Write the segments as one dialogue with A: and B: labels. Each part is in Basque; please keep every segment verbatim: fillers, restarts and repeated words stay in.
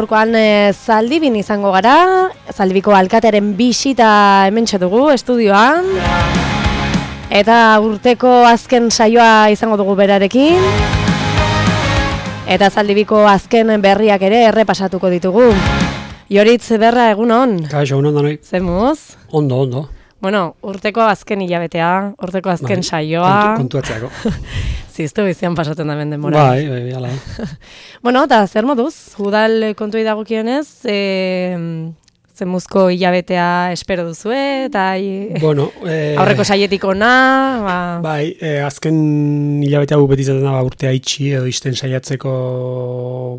A: Gaurkoan e, Zaldibin izango gara, Zaldibiko alkatearen bisita hementxe dugu estudioan. Eta urteko azken saioa izango dugu berarekin. Eta Zaldibiko azken berriak ere errepasatuko ditugu. Joritz Berra, egunon.
B: Kaixo, egunon danoi.
A: Zemuz?
B: Ondo, ondo.
A: Bueno, urteko azken hilabetea, urteko azken bai, saioa.
B: Kontuatzeako.
A: Ziztu bizian pasatzen da ben denbora.
B: Bai, bai, bai, ala.
A: Bueno, eta zer moduz, udal kontuei dagokionez, e, zemuzko hilabetea espero duzue, eta
B: bueno, e,
A: aurreko saietik ona. Ba...
B: Bai, e, azken hilabetea gu beti zaten da ba, urtea itxi edo isten saiatzeko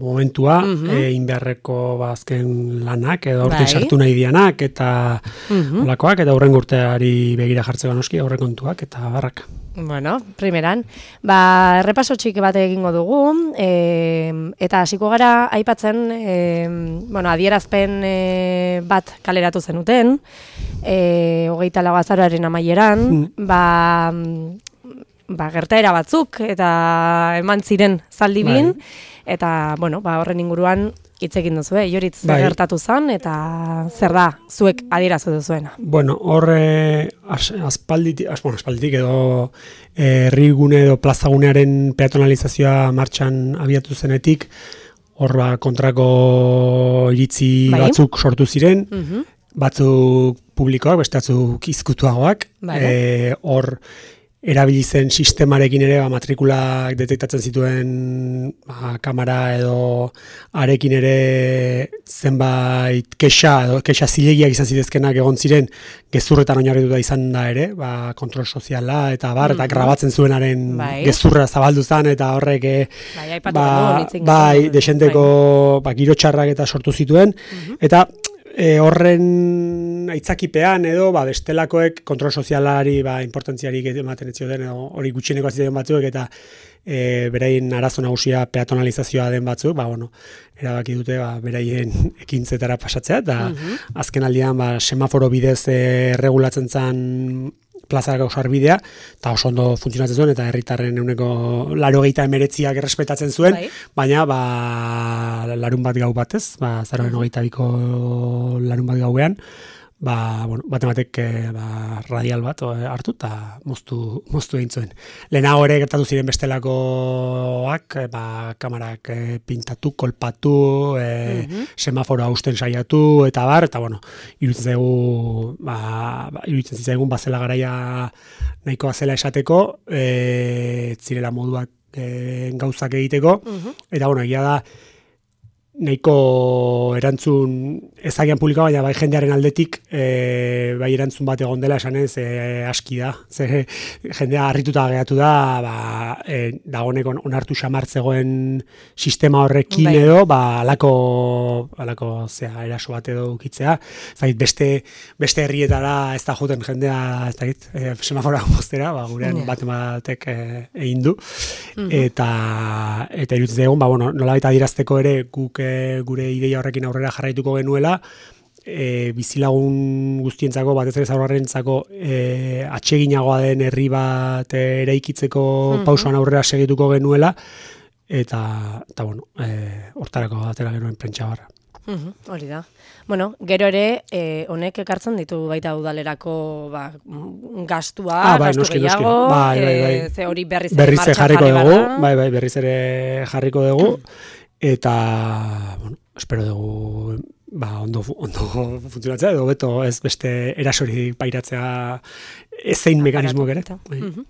B: momentua, mm-hmm. e, inbeharreko ba, azken lanak, edo aurten bai. Sartu nahi dianak, eta mm-hmm. olakoak, eta aurren urteari begira jartzeko noski, aurre kontuak, eta barrak.
A: Bueno, primeran, ba, errepaso txiki bat egingo dugu, e, eta hasiko gara aipatzen, e, bueno, adierazpen e, bat kaleratu zenuten, e, hogeita lau azaroaren amaieran, mm. ba, ba, gertaera batzuk, eta eman ziren Zaldibin, bai. Eta, bueno, ba, horren inguruan hitz egin duzu, eh? Joritz bai. Gertatu zan, eta zer da, zuek adierazu duzuena?
B: Bueno, horre aspalditik, as, bueno, aspalditik edo herrigune edo plazagunearen peatonalizazioa martxan abiatu zenetik, hor ba, kontrako iritzi bai. Batzuk sortu ziren, uh-huh. batzuk publikoak, beste batzuk izkutuagoak, e, hor erabili zen sistemarekin ere ba, matrikulak detektatzen zituen ba, kamera edo arekin ere zenbait kexa edo kexa zilegiak izan zitezkenak egon ziren gezurretan oinarrituta izan da ere, ba, kontrol soziala eta bar, eta grabatzen zuenaren bai. Gezurra zabaldu zen eta horrek
A: bai,
B: ba, bai, desenteko bai. Ba, giro txarrak eta sortu zituen, uh-huh. eta E, horren aitzakipean edo ba, bestelakoek kontrol sozialari ba, importantziarik ematen ez zioten hori gutxieneko aziten batzuk eta e, beraien arazo nagusia peatonalizazioa den batzuk, ba, bueno, erabaki dute ba, beraien ekintzetara pasatzea eta uh-huh. azken aldian ba, semaforo bidez e, regulatzen zen plazarako sarbidea, eta oso ondo funtzionatzen zuen, eta herritarren euneko laurogeita emeretziak errespetatzen zuen, bai. Baina ba, larun bat gau batez, ba, zaroen hogeita biko larun bat gauean, ba, bueno, bate batek ba, radial bat hartu eta moztu, moztu egin zuen. Lehenago ere gertatu ziren bestelakoak, ba, kamarak pintatu, kolpatu, e, uh-huh. semaforoa hausten saiatu, eta bar, eta bueno, iruditzen zaigu, ba, ba, iruditzen zaigun bazela garaia nahikoa zela esateko, e, zirela moduak e, gauzak egiteko, uh-huh. eta bueno, egia da, nahiko erantzun ezagian publikoa, baina bai jendearen aldetik e, bai erantzun bat egon dela esanez e, aski da. Ze jendea harrituta geratu da, ba, e, dagoeneko onartu xamartzegoen sistema horrekin bai. Edo, ba, alako, alako zea, eraso bat edo ukitzea. Zait, beste, beste herrietara ez da joten jendea, ez da git, e, semafora moztera, ba, gurean yeah. bat batek e, egin du. Mm-hmm. Eta, eta irutzen egun, ba, bueno, nolabait adierazteko ere guk gure ideia horrekin aurrera jarraituko genuela, e, bizilagun guztientzako, batez ere zaurgarrentzako e, atseginagoa den herri bat eraikitzeko mm-hmm. pausoan aurrera segituko genuela, eta, eta bueno, e, hortarako atera genuen prentsa barra.
A: Mm-hmm, hori da. Bueno, gero ere, eh, honek ekartzen ditu baita udalerako ba, gastua,
B: ah, bai,
A: gastu
B: noski,
A: gehiago,
B: noski. Bai, bai, bai.
A: E, ze hori berriz,
B: berriz jarriko dugu, bai, bai, berriz ere jarriko dugu, eta, bueno, espero dugu, ba, ondo, ondo funtzionatzea, edo beto ez beste erasori pairatzea ezein mekanismo ere.
A: Mm-hmm.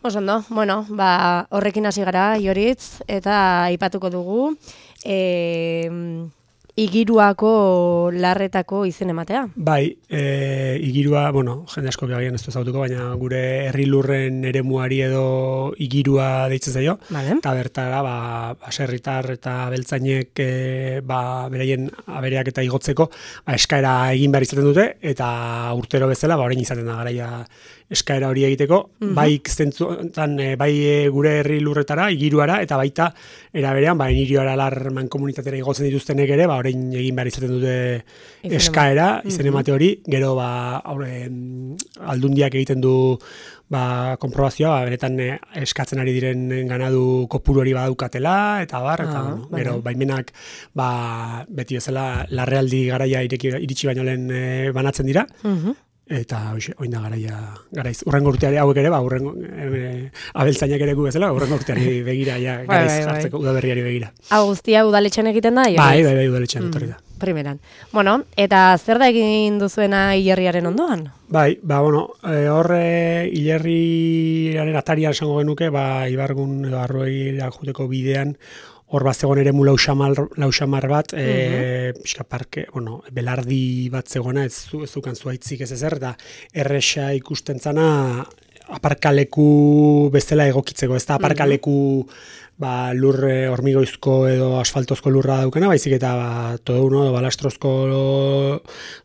A: Osondo, bueno, ba, horrekin hasi gara, Joritz, eta aipatuko dugu, e, Igiruako larretako izen ematea?
B: Bai, e, igirua, bueno, jende asko agian ez du ezagutuko, baina gure herri lurren eremuari edo igirua deitzen zaio.
A: Vale.
B: Eta bertara, ba, baserritar eta beltzainek e, ba, beraien abereak eta igotzeko ba, eskaera egin behar izaten dute, eta urtero bezala, ba, orain izaten da garaia eskaera hori egiteko, mm-hmm. bai zentzutan, bai gure herri lurretara, igiruara, eta baita eraberean, ba, inirio aralar mankomunitatera igotzen dituztenek ere, ba, orain egin behar izaten dute eskaera, izen emate hori, gero, ba, aurre, aldundiak egiten du ba, konprobazioa, ba, benetan eh, eskatzen ari diren ganadu kopuru hori badaukatela, eta bar, eta ah, bueno, gero, baimenak, ba, beti bezala, larrealdi garaia ireki, iritsi baino lehen eh, banatzen dira, uh-huh. eta hoxe, oin da garaia, garaiz, urrengo urteari hauek ere, ba, urrengo, e, abeltzainak ere gu bezala, urrengo urteari begira, ja, garaiz bai, bai, jartzeko bai. Udaberriari begira.
A: Hau guztia udaletxean egiten da?
B: Bai, bai, bai, udaletxean etorri da.
A: Primeran. Bueno, eta zer da egin duzuena hilerriaren ondoan?
B: Bai, ba, bueno, e, horre hilerriaren atarian esango genuke, ba, Ibargun edo Arroira joteko bidean, hor bat zegoen ere mu lausamar bat, e, uh-huh. pixka parke, bueno, belardi bat zegoena, ez, ez zukan zuaitzik ez ezer, eta erresa ikusten zana aparkaleku bezala egokitzeko, ez da aparkaleku ba, lur hormigoizko edo asfaltozko lurra daukana, baizik eta ba, todo uno, balastrozko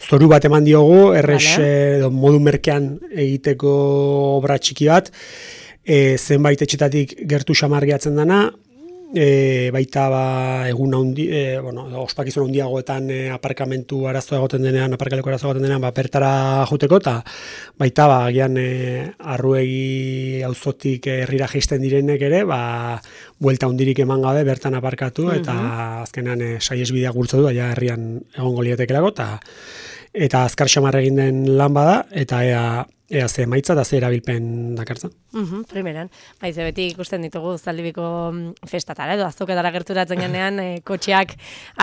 B: zoru bat eman diogu, erres vale. Edo modu merkean egiteko obra txiki bat, e, zenbait etxetatik gertu xamar gehatzen dana, E, baita ba, egun handi, e, bueno, ospakizun handiagoetan e, aparkamentu arazo egoten denean, aparkaleko arazo egoten denean, ba, bertara joteko, eta baita ba, agian e, arruegi auzotik herrira jaisten direnek ere, ba, buelta hundirik eman gabe bertan aparkatu, eta uh-huh. azkenean e, saiesbidea gurtzu du, ja herrian egongo lietekelako, eta eta azkar xamar egin den lan bada, eta ea Ea ze maitza da ze erabilpen dakartzen.
A: Uh-huh, primeran. Baiz, beti ikusten ditugu Zaldibiko festatara edo azoketara gerturatzen genean, e, kotxeak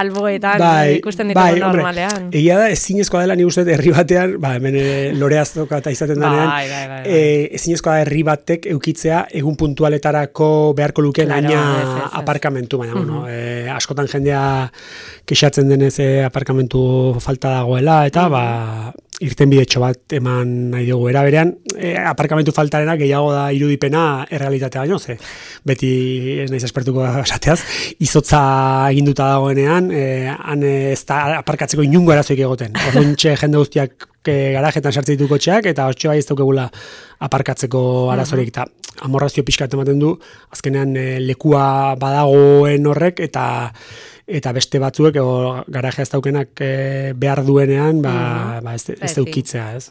A: alboetan bai, ikusten ditugu bai, normalean.
B: Egia da, ezinezkoa dela ni uste herri batean, ba, hemen lore azoka eta izaten denean, bai, bai, bai, bai. E, ezinezkoa da herri batek eukitzea egun puntualetarako beharko lukeen claro, aina ez, ez, ez. aparkamentu, baina, uh-huh. bueno, e, askotan jendea kexatzen denez e, aparkamentu falta dagoela, eta, uh-huh. ba, irten bidetxo bat eman nahi dugu. Era berean, e, aparkamentu faltarena gehiago da irudipena errealitatea baino, ze beti ez naiz espertuko esateaz, izotza eginduta dagoenean, e, han ez da aparkatzeko inungo arazoik egoten. Orduntxe jende guztiak garajetan sartzen ditu kotxeak, eta hortxe bai ez daukegula aparkatzeko arazorik, eta amorrazio pixkat ematen du, azkenean e, lekua badagoen horrek, eta eta beste batzuek o, garajea ez daukenak e, behar duenean, ba, mm. ba ez, ez eukitzea, ez?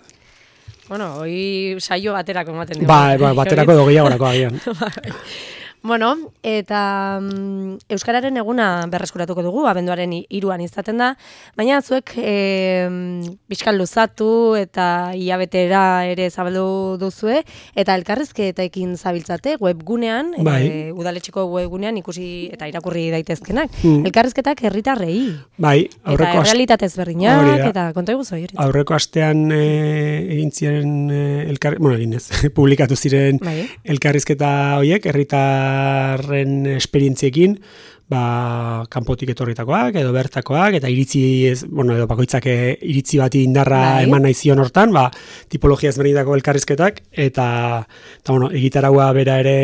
A: Bueno, hoi saio baterako ematen dugu.
B: Ba, ba baterako edo gehiagorako agian.
A: Bueno, eta um, Euskararen eguna berreskuratuko dugu, abenduaren hiruan izaten da, baina zuek e, bizkal luzatu eta hilabetera ere zabaldu duzue, eta elkarrizketaekin zabiltzate webgunean, bai. e, udaletxeko webgunean ikusi eta irakurri daitezkenak. Mm. Elkarrizketak herritarrei. Bai, aurreko eta realitatez berdinak, eta konta iguzu hori.
B: Aurreko astean e, egin ziren, e, elkar, bueno, egin ez, publikatu ziren bai. Elkarrizketa horiek, herritar ren esperientziekin, ba, kanpotik etorritakoak, edo bertakoak, eta iritzi, ez, bueno, edo bakoitzak iritzi bati indarra bai. Eman nahi zion hortan, ba, tipologia ezberdinetako elkarrizketak, eta, eta bueno, egitaraua bera ere,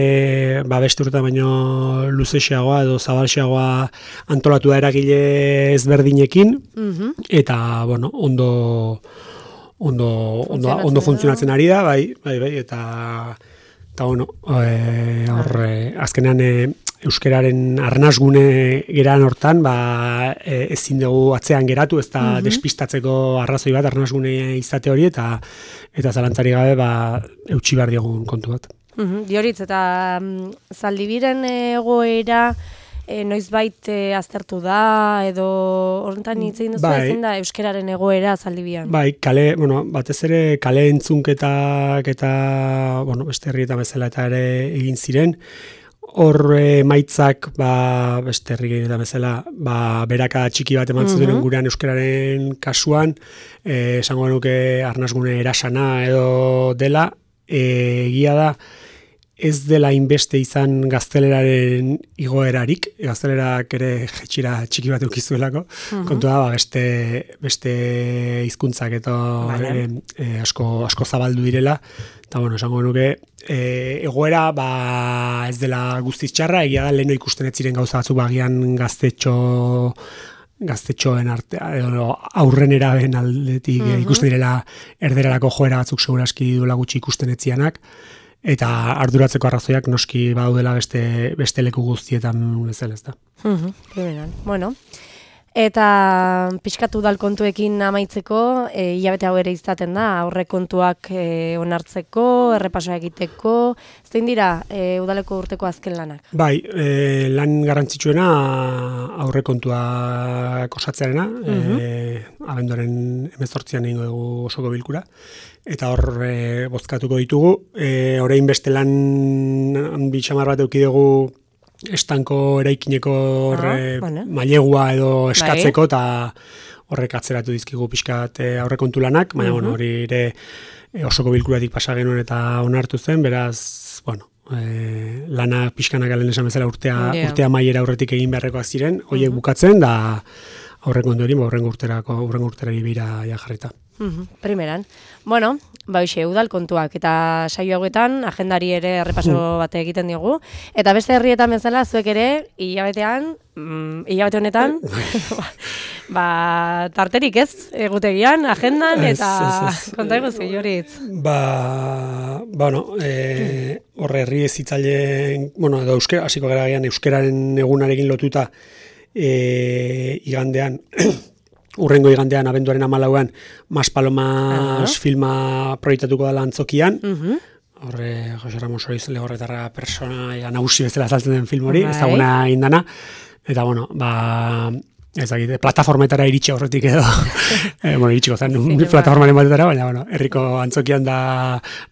B: ba, beste urte baino luzexeagoa, edo zabalxeagoa antolatu da eragile ezberdinekin, mm-hmm. eta, bueno, ondo, ondo, ondo, ondo funtzionatzen ari da, bai, bai, bai, eta, eta, bueno, e, hor, azkenean e, euskararen arnasgune geran hortan, ba, e, ezin dugu atzean geratu, ez da mm-hmm. despistatzeko arrazoi bat, arnasgune izate hori, eta eta zalantzari gabe, ba, eutxi behar diogun kontu bat.
A: Mm-hmm. Dioritz, eta um, Zaldibiren egoera, E, noizbait e, aztertu da, edo horretan hitzein duzu bai. Ezin da euskararen egoera Zaldibian.
B: Bai, kale, bueno, batez ere kale entzunketak eta, bueno, beste herrietan bezala eta ere egin ziren, hor emaitzak, ba, beste herrietan bezala, ba, beraka txiki bat eman zuten mm-hmm. gurean euskararen kasuan, e, esango genuke arnasgune erasana edo dela, e, egia da, ez dela inbeste izan gazteleraren igoerarik, gaztelerak ere jetxira txiki bat eukizuelako, uh-huh. kontua ba, beste, beste hizkuntzak eta e, e, asko, asko zabaldu direla, eta bueno, esango nuke, e, egoera ba, ez dela guztiz txarra, egia da leheno ikusten ez ziren gauza batzuk bagian gaztetxo gaztetxoen artea, edo aurren eraben aldetik mm -hmm. ikusten direla erderarako joera batzuk seguraski duela gutxi ikusten etzianak, eta arduratzeko arrazoiak noski badaudela beste, beste leku guztietan bezala, ez da.
A: Mm -hmm. Bueno, eta pixkatu dal kontuekin amaitzeko, e, hilabete hau ere izaten da, aurre kontuak e, onartzeko, errepasoa egiteko, zein dira e, udaleko urteko azken lanak?
B: Bai, e, lan garrantzitsuena aurre kontuak osatzearena, mm -hmm. e, abenduaren hemezortzian egingo dugu osoko bilkura, eta hor e, bozkatuko ditugu, e, orain beste lan bitxamar bat eduki dugu estanko eraikineko ah, e, bueno. mailegua edo eskatzeko, eta horrek atzeratu dizkigu pixkat e, aurrekontu lanak, baina uh -huh. bueno, hori ere e, osoko bilkuratik pasa genuen eta onartu zen, beraz, bueno, e, lana pixkanak alen esan bezala urtea, yeah. urtea maiera aurretik egin beharrekoak ziren, horiek uh -huh. bukatzen, da aurrekontu hori, aurrengo urterako, aurrengo urterari bira ja jarrita.
A: Uh-huh. Primeran. Bueno, ba hoxe, udal kontuak eta saio hauetan agendari ere errepaso bate egiten diogu. Eta beste herrietan bezala zuek ere hilabetean, mm, hilabete honetan, ba, tarterik ez, egutegian, agendan, eta konta eguzi, Joritz.
B: Ba, bueno, e, horre herri ezitzaileen, bueno, edo euskera, hasiko gara gian euskeraren egunarekin lotuta e, igandean, urrengo igandean, abenduaren hamalauan, Mas Palomas uh-huh. filma proiektatuko dela Antzokian. Uh-huh. Horre, Jose Ramos Oriz Legorretarra persona nagusi bezala saltzen den film hori, right. ezaguna indana. Eta, bueno, ba, ez dakit, plataformetara iritsi horretik edo. e, bueno, iritsiko zen, sí, plataformaren batetara, baina, bueno, herriko Antzokian da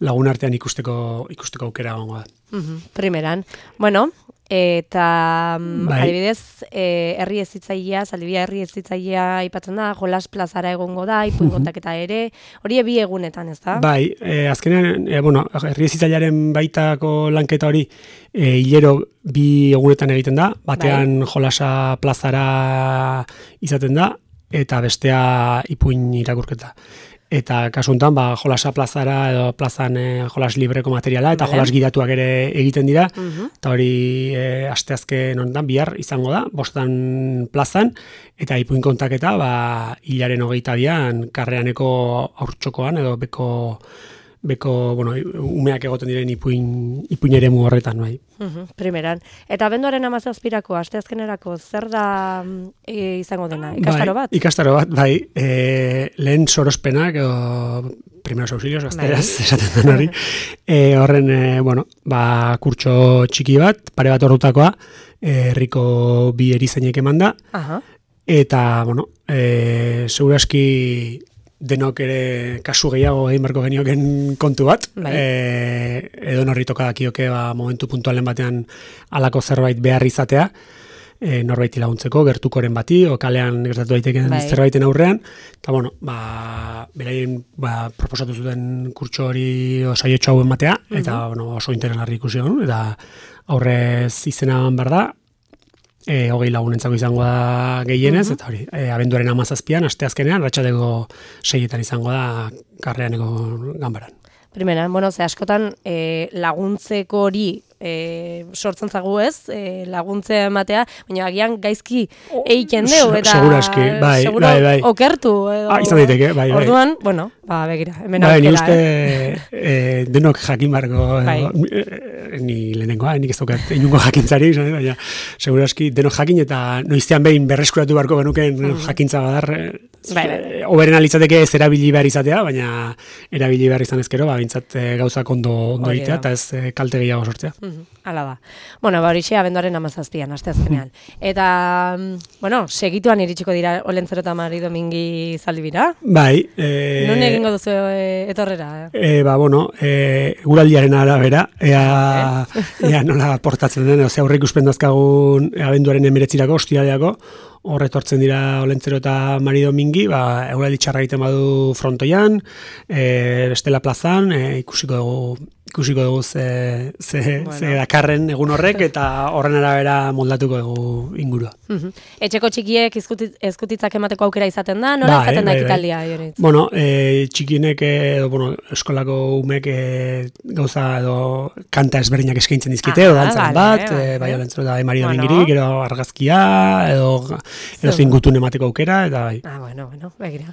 B: lagun artean ikusteko, ikusteko aukera gongo da.
A: Uh-huh. Primeran. Bueno, eta bai. adibidez, e, herri ezitzailea, Zaldibia herri ezitzailea aipatzen da, Jolas plazara egongo da, ipuin kontaketa ere, hori bi egunetan, ez da?
B: Bai, e, azkenean, e, bueno, herri ezitzailearen baitako lanketa hori e, hilero bi egunetan egiten da, batean bai. Jolasa plazara izaten da, eta bestea ipuin irakurketa. Eta kasu honetan, ba, Jolasa plazara edo plazan e, jolas libreko materiala eta jolas gidatuak ere egiten dira. Uh-huh. Eta hori e, asteazken honetan bihar izango da, bostan plazan, eta ipuin kontaketa ba, hilaren hogeita bian karreaneko aurtxokoan edo beko, beko bueno, umeak egoten diren ipuin, ipuin eremu horretan. Bai.
A: Uh-huh, primeran. Eta abenduaren hamazazpirako, asteazkenerako, zer da e, izango dena? Ikastaro bat?
B: Bai, ikastaro bat, bai. E, lehen sorospenak, o, primeros auxilios, gazteraz, bai. esaten den hori. E, horren, e, bueno, ba, kurtso txiki bat, pare bat ordutakoa, herriko bi erizainek eman da. Aha. Eta, bueno, e, seguraski denok ere kasu gehiago egin barko genioken kontu bat. Bai. E, edo norri toka dakioke ba, momentu puntualen batean alako zerbait behar izatea, e, norbaiti laguntzeko, gertukoren bati, o kalean gertatu daiteken bai. zerbaiten aurrean. Eta, bueno, ba, beraien ba, proposatu zuten kurtso hori saiotxo hauen batea, eta uh-huh. bueno, oso interesgarri ikusi egon, eta aurrez izena behar da, E, hogei lagunentzako izango da gehienez, uh-huh. eta hori, e, abenduaren hamazazpian, asteazkenean, ratxateko seietan izango da karreaneko ganbaran.
A: Primera, bueno, ze askotan e, laguntzeko hori e, sortzen zagu ez, e, laguntze ematea, baina agian gaizki egiten deu, eta
B: seguraski, bai,
A: seguro
B: bai, bai.
A: okertu. Edo,
B: ah, izan daiteke, bai, bai.
A: Orduan, bueno, ba, begira, hemen
B: bai,
A: aukera.
B: Ni uste eh? e, denok jakin barko, bai. e, ni lehenengoa, nik ez daukat inungo jakintzari, baina seguraski denok jakin, eta noizean behin berreskuratu barko benuken mm. jakintza badar, bai, bai. oberen alitzateke ez erabili behar izatea, baina erabili behar izan ezkero, ba, bintzat e, gauzak ondo, ondo egitea, eta ez e, kalte gehiago sortzea. Mm.
A: Hala da. Bueno, ba horixe abenduaren hamazazpian, asteazkenean. Eta, bueno, segituan iritsiko dira Olentzero eta Mari Domingi Zaldibira?
B: Bai. E,
A: non egingo duzu e, etorrera?
B: E, ba, bueno, e, guraldiaren arabera, ea, ea nola portatzen den, ozea aurre ikuspen dazkagun abenduaren emeretzirako, ostiraleako, hor etortzen dira Olentzero eta Mari Domingi, ba, euraldi txarra egiten badu frontoian, e, bestela plazan, e, ikusiko dugu ikusiko dugu ze, ze,
A: Bueno.
B: ze dakarren egun horrek, eta horren arabera moldatuko dugu ingurua.
A: Mhm. Etxeko txikiek izkutit- ezkutitzak emateko aukera izaten da, nola
B: Bai,
A: izaten da
B: bai, bai.
A: ekitaldia, Joritz?
B: Bueno, e, txikinek, edo, bueno, eskolako umek e, gauza edo kanta ezberdinak eskaintzen dizkite,
A: Ah,
B: edo dantzaren
A: vale,
B: bat,
A: vale.
B: e, bai, olentzero da Emari
A: Bueno.
B: Domingirik, gero argazkia, edo, edo zein gutun emateko aukera, eta bai.
A: Ah, bueno, bueno, begira.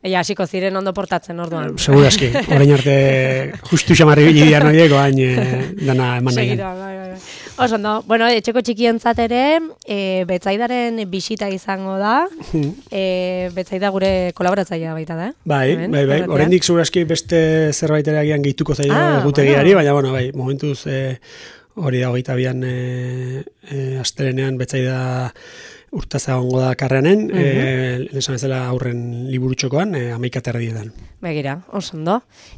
A: Ella hasiko ziren ondo portatzen orduan.
B: Segura eski, orain arte justu xamarri bilian horiek, oain e, dana eman nahi.
A: Segira, bai, bai, bai. Oso, no? Bueno, etxeko txikientzat ere, e, Betsaidaren bisita izango da, e, Betsaida gure kolaboratzailea baita da, eh?
B: Bai,
A: Hemen,
B: bai, bai,
A: irratian.
B: oraindik segurazki beste zerbait ere agian gehituko zaio
A: Ah,
B: egutegiari,
A: bueno.
B: baina, bueno, bai, momentuz e, hori da hogeita bian e, e, astelenean Betsaida urtaza egongo da karreanen, mm -hmm. esan bezala aurren liburutxokoan, e, amaika terdietan.
A: Begira, oso ondo.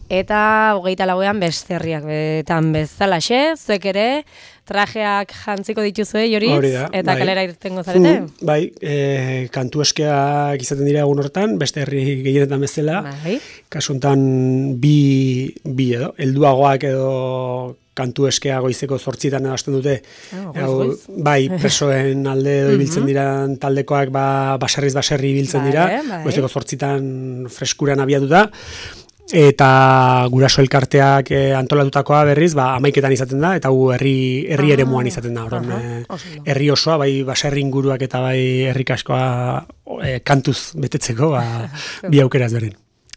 A: Eta hogeita lauean beste herriak betan bezalaxe, zuek ere trajeak jantziko dituzue, Joritz,
B: Hori da,
A: eta
B: bai.
A: kalera irtengo zarete?
B: Mm, bai, e, kantu eskeak izaten dira egun hortan, beste herri gehienetan bezala,
A: Bai.
B: kasu honetan bi, bi edo, helduagoak edo kantu eskea goizeko zortzitan edo hasten dute.
A: Ah, goiz,
B: Hau,
A: goiz.
B: bai, presoen alde edo ibiltzen diran taldekoak ba, baserriz baserri ibiltzen dira,
A: Bai, bai.
B: goizeko zortzitan freskuran abiatuta, eta guraso elkarteak e, antolatutakoa berriz, ba, amaiketan izaten da, eta gu herri, herri
A: Ah,
B: eremuan izaten da, orduan,
A: aha,
B: e,
A: oso ondo.
B: herri osoa, bai baserri inguruak eta bai herri kaskoa e, kantuz betetzeko, ba, bi aukera ezberdin.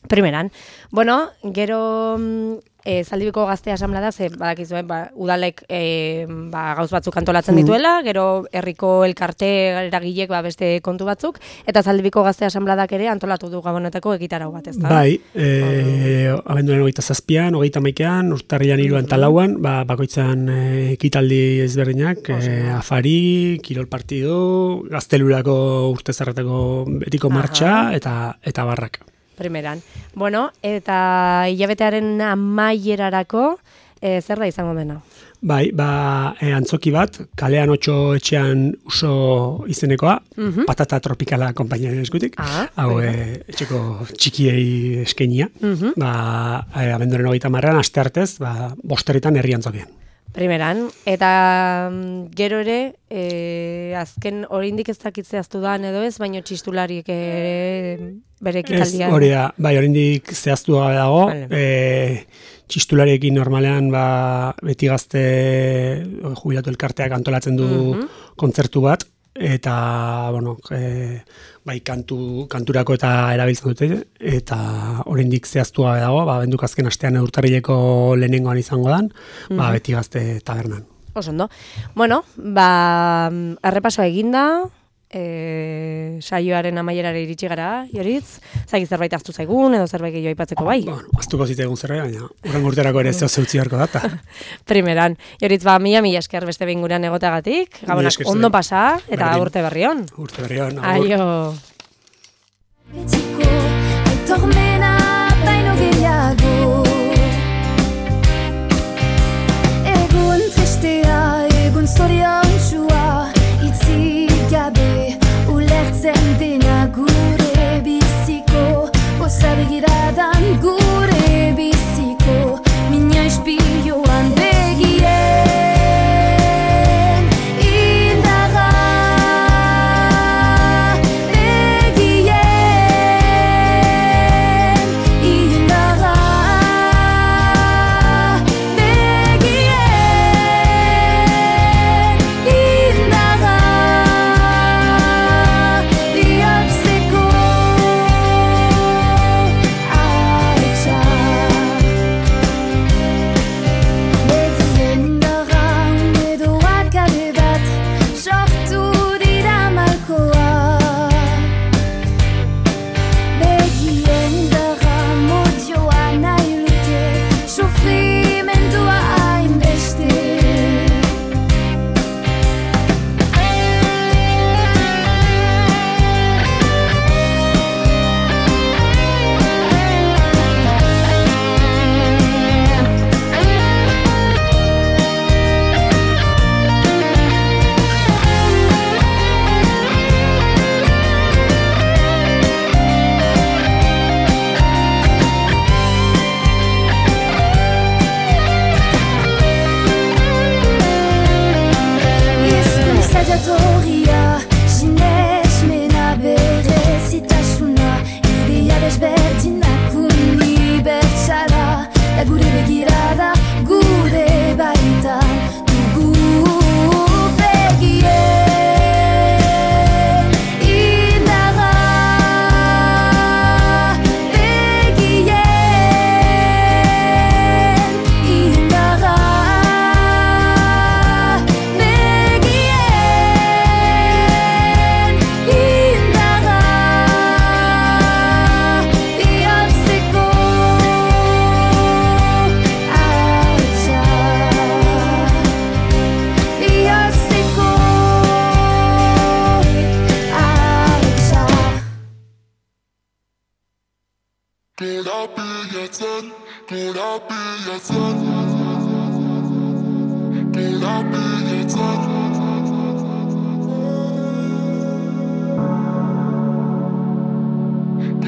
A: Primeran. Bueno, gero mm, e, Zaldibiko Gazte Asamblea ze badakizue, ba, udalek e, ba, gauz batzuk antolatzen dituela, gero herriko elkarte eragilek ba, beste kontu batzuk, eta Zaldibiko Gazte Asambleak ere antolatu du gabonetako egitarau bat, ezta?
B: Bai, e, abenduaren hogeita zazpian, hogeita maikean, urtarrilan hiruan eta lauan, ba, bakoitzan e, ekitaldi ezberdinak, e, afari, kirol partido, gaztelurako urtezarretako betiko martxa, eta, eta barrak.
A: Primeran. Bueno, eta hilabetearen amaierarako, e, zer da izango dena?
B: Bai, ba, e, antzoki bat, kalean otxo etxean uso izenekoa, patata tropikala konpainiaren eskutik,
A: Ah,
B: hau
A: bueno.
B: e, etxeko txikiei eskenia,
A: Mhm.
B: ba, e, abenduaren hogeita marrean, aste artez, ba, bosterritan herri antzokian.
A: Primeran, eta mm, gero ere, e, azken oraindik ez dakitze aztu da edo ez, baino txistulariek ere bere
B: Ez,
A: ekitaldia.
B: hori da, bai, oraindik zehaztu gabe dago,
A: Vale.
B: e, txistulariekin normalean ba, beti gazte jubilatu elkarteak antolatzen du
A: Mhm.
B: kontzertu bat, eta, bueno, e, bai, kantu, kanturako eta erabiltzen dute, eta oraindik zehaztu gabe dago, ba, benduk azken astean urtarrileko lehenengoan izango dan, ba, beti gazte tabernan.
A: Oso ondo. Bueno, ba, errepasoa eginda, e, saioaren amaierara iritsi gara, Joritz, zaki zerbait hartu zaigun, edo zerbait gehiago aipatzeko bai.
B: Bueno, aztuko zitaigun zerbait, baina urren urterako ere zeo zeutzi beharko data.
A: Primeran, Joritz, ba, mila mila esker beste behin gurean egoteagatik, gabonak
B: esker
A: ondo
B: zuri.
A: pasa, eta
B: Berdin.
A: urte berri on.
B: Urte berri on, agur.
A: Aio.
C: Betiko aitormena baino gehiago Egun tristea, egun zoriontsua Itzik gabe ulertzen dena gure biziko Oza begiradan gure biziko Mina ispilioan begien Indarra begien Indarra begien Indarra bihotzeko Ah
D: Korapilatzen, korapilatzen